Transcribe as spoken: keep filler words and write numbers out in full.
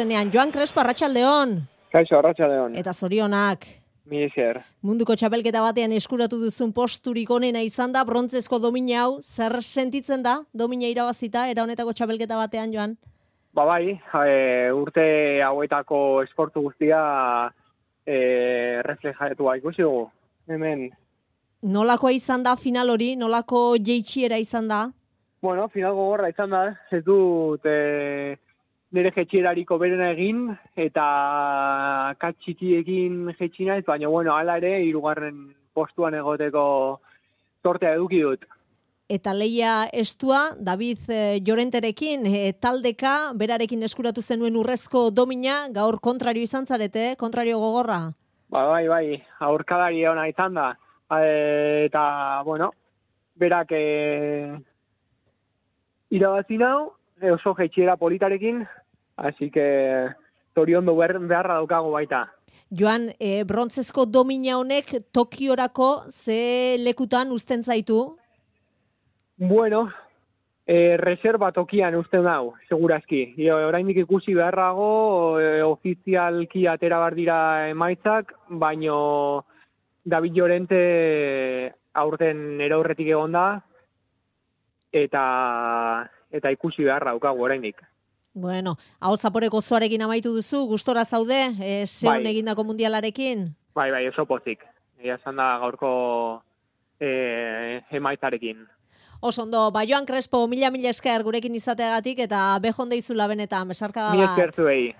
Joan Crespo, arratsaldeon. Kaixo, arratsaldeon. Eta zorionak. Mi esker. Munduko txapelketa batean eskuratu duzun posturik onena izan da, brontzezko domina hau, zer sentitzen da, domina irabazita, era honetako txapelketa batean, Joan? Ba bai, e, urte hauetako esportu guztia e, reflejatu ikusi dugu. Hemen. Nolakoa izan da final hori, nolako jeitsiera izan da? Bueno, final gogorra izan da, ez dut e, nire jetxierariko berena egin, eta katxikiekin jetxi naiz, baina bueno, hala ere, hirugarren postuan egoteko sortea eduki dut. Eta leia estua, David eh, Llorenterekin, eh, taldeka, berarekin eskuratu zenuen urrezko domina, gaur kontrario izan zarete, kontrario gogorra? Ba, bai, bai, aurkadari ona izan da. E, eta, bueno, berak e, irabazi nau, e, oso jetxiera politarekin, hasi que toriondo beharra daukago baita. Joan, e, brontzezko domina honek Tokiorako ze lekutan uzten zaitu? Bueno, e, reserva tokian usten dau, segurazki. E, oraindik ikusi beharrago, e, ofizialki atera bar dira emaitzak, baino David Llorente aurten eraurretik egon da, eta, eta ikusi beharra daukagu oraindik. Bueno, hau zaporeko zoarekin amaitu duzu, gustora zaude, e, zeon bai. egindako mundialarekin? Bai, bai, oso pozik. Egia esan da gaurko e, emaitzarekin. Oso ondo, ba Joan Crespo, mila mila esker gurekin izateagatik eta bejon deizula benetan, besarkada bat. Mi esker zuei.